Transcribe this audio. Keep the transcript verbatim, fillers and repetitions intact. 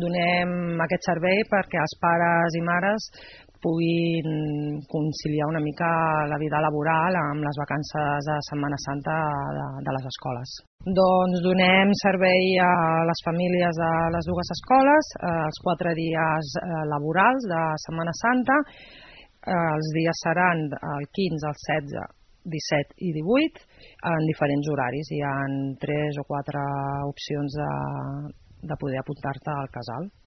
Donem aquest servei perquè els pares i mares puguin conciliar una mica la vida laboral amb les vacances de Setmana Santa de, de les escoles. Doncs donem servei a les famílies de les dues escoles, els quatre dies laborals de Setmana Santa. Els dies seran el quinze, el setze, disset i divuit en diferents horaris. Hi ha tres o quatre opcions de, de poder apuntar-te al casal.